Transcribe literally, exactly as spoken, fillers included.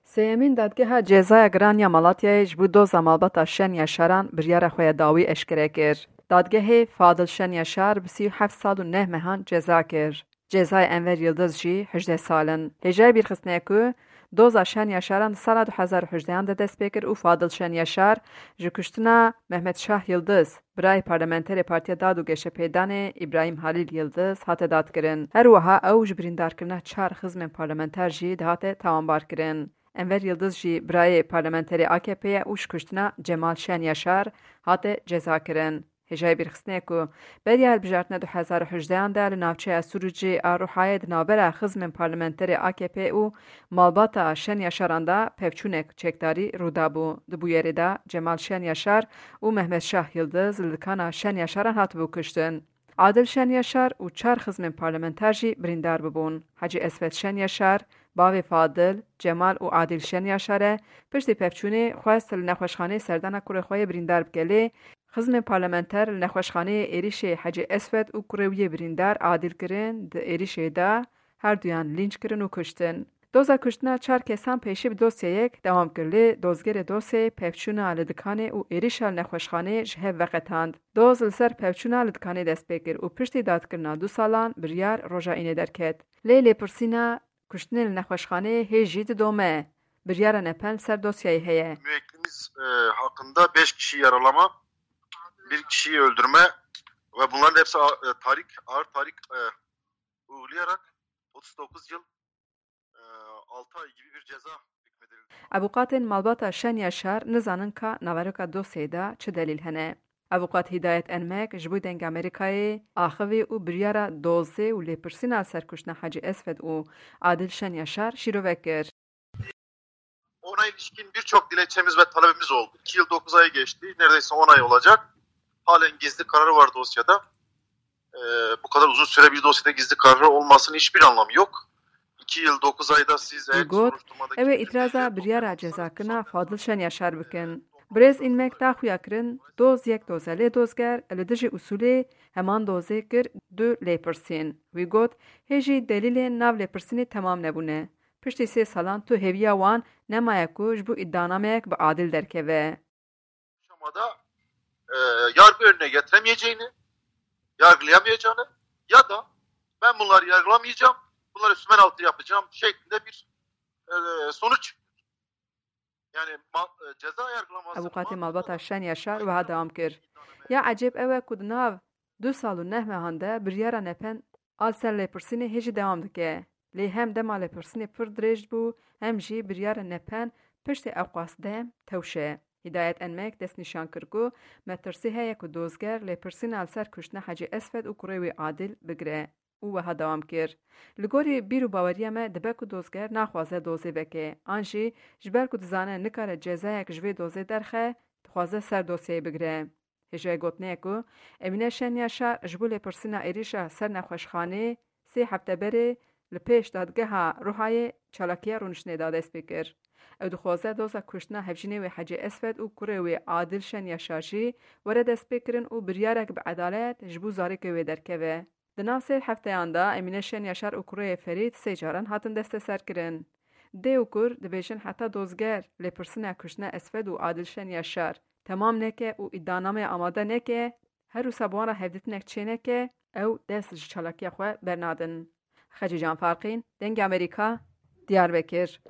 Sêyemîn Dadgeha Cezaya Giran ya Malatyayê ji bo doza malbata Şen Yaşaran biryara xwe ya dawî eşkere kir. Dadgehê Fadil Şen Yaşar bi sî û heft sal û neh mehan ceza kir. Cezayê Enver Yildiz jî hejdeh sal in. Hêjayî bîrxistinê ye ku doza Şen Yaşaran di sala du hezar û hejdehan de dest pê kir û Fadil Şen Yaşar ji kuştina Mehmet Şah Yildiz, birayê parlamenterê Partiya Dad û Geşepêdanê Îbrahîm Halîl Yildiz hate dadkirin. Her wiha ew ji birîndarkirina çar xizmên parlamenter jî dihate tawanbarkirin. Enver Yildiz jî birayê parlamenterê A K P ye û ji kuştina Cemal Şen Yaşar hate cezakirin. Hêjayî bîrxistinê ye ku beriya hilbijartina du hezar û hejdehan de li navçeya Sûrûcê a Ruhayê di navbera xizmên parlamenterê A K P û malbata Şen Yaşaran de pevçûnek çekdarî rû dabû. Di bûyerê de Cemal Şen Yaşar û Mehmet Şah Yildiz li dikana Şen Yaşaran hatibû kuştin. Adil Şen Yaşar û çar xizmên parlamenter jî birîndar bibûn. Hecî Esfet Şen Yaşar, bavê Fadil, Cemal û Adil Şen Yaşar e, piştî pevçûnê xwest li nexweşxaneyê serdana kurê xwe yê birîndar bike, lê xizmên parlamenter li nexweşxaneyê êrîşê Hecî Esfet û kurê wî yê birîndar Adil kirin, di êrîşê de her duyan lînç kirin û kuştin. Doza kuştina çar kesan pêşî bi dosyayek dewam kir, lê dozgerê dosyayê pevçûna li dikanê û êrîşa li nexweşxaneyê ji hev veqetand. Doz li ser pevçûna li dikanê dest pê kir û piştî dadkirina du salan biryar roja înê derket. Lê lêpirsîna kuştinê li nexweşxaneyê hê jî didome. Biryara nepen li ser dosyayê heye. Müvekkilimiz e, hakkında beş kişi yaralama, bir kişiyi öldürme ve bunların hepsi a- e, tahrik, ağır tahrik e, uygulayarak otuz dokuz yıl e, altı ay gibi bir ceza hükmedildi. Avûkatên malbata Şen Yaşar nizanin ka naveroka dosyayê de çi delîl hene. Avûkat Hidayet Enmek ji bo Dengê Amerîkayê axivî û biryara dozê û lêpirsîna li ser kuştina Hecî Esfet û Adil Şen Yaşar şîrove kir. Ona ilişkin birçok dilekçemiz ve talebimiz oldu. İki yıl dokuz ay geçti. Neredeyse on ay olacak. Halen gizli kararı var dosyada. Ee, bu kadar uzun süre bir dosyada gizli kararı olmasının hiçbir anlamı yok. İki yıl dokuz ayda siz eğer Got, soruşturmadaki ew ê bütün îtiraza deliller biryara toplanırsa cezakirina Fadil Şen Yaşar bikin. Birêz Înmek da xuya kirin, doz yek doz e, lê dozger li dijî usûlê heman dozê kir du lêpirsîn. Wî got, hê jî delîlên nav lêpirsînê temam nebûne. Piştî sê salan tu hêviya wan nemaye ku ji bo îdianameyek bi adil derkeve. Aşamada e, yargı önüne getiremeyeceğini, yargılayamayacağını ya da ben bunları yargılamayacağım, bunları sümen altı yapacağım şeklinde bir e, sonuç. Yani ma- e, ceza yargılaması Avûkatê malbata Şen Yaşar wiha dewam kir. Ya ecêb ew e ku di nav du sal û neh mehan de biryara nepen a li ser lêpirsînê hê jî dewam dike. Lê hem dema lêpirsînê pir dirêj bû, hem jî biryara nepen piştê ewqas dem tewşe. Hidayet Enmek destnîşan kir ku metirsî heye ku dozger lêpirsîna li ser kuştina Hecî Esfet û kurê wî Adil bigire û wiha dewam kir, Li gorî bîr û baweriya me dibe ku dozger naxwaze dozê veke, an jî ji ber ku dizane nikare cezayek ji vê dozê derxe, dixwaze ser dosyayê bigire. Hêjayê gotinê ye ku Emîne Şen Yaşar ji bo lêpirsîna êrîşa ser nexweşxanê sê hefte berê li pêş dadgeha Ruhayê çalakiya rûniştinê da dest pê kir. Ew dixwaze doza kuştina hevjînê wê Hecî Esfet û kurê wê Adil Şen Yaşar jî were destpêkirin û biryarek bi edalet ji bo zarokê wê derkeve. Di nav sê hefteyan de Emîne Şen Yaşar û kurê Ferîd sê caran hatin desteserkirin. Dê û kur dibêjin heta dozger lêpirsîna kuştina Esfet û Adil Şen Yaşar temam neke û îdianameya amade neke, her wisa bi wan re hevdîtinek çêneke, ew dest ji çalakiya xwe bernadin. Xecîcan Farqîn, Dengê Amerîka, Diyarbekir.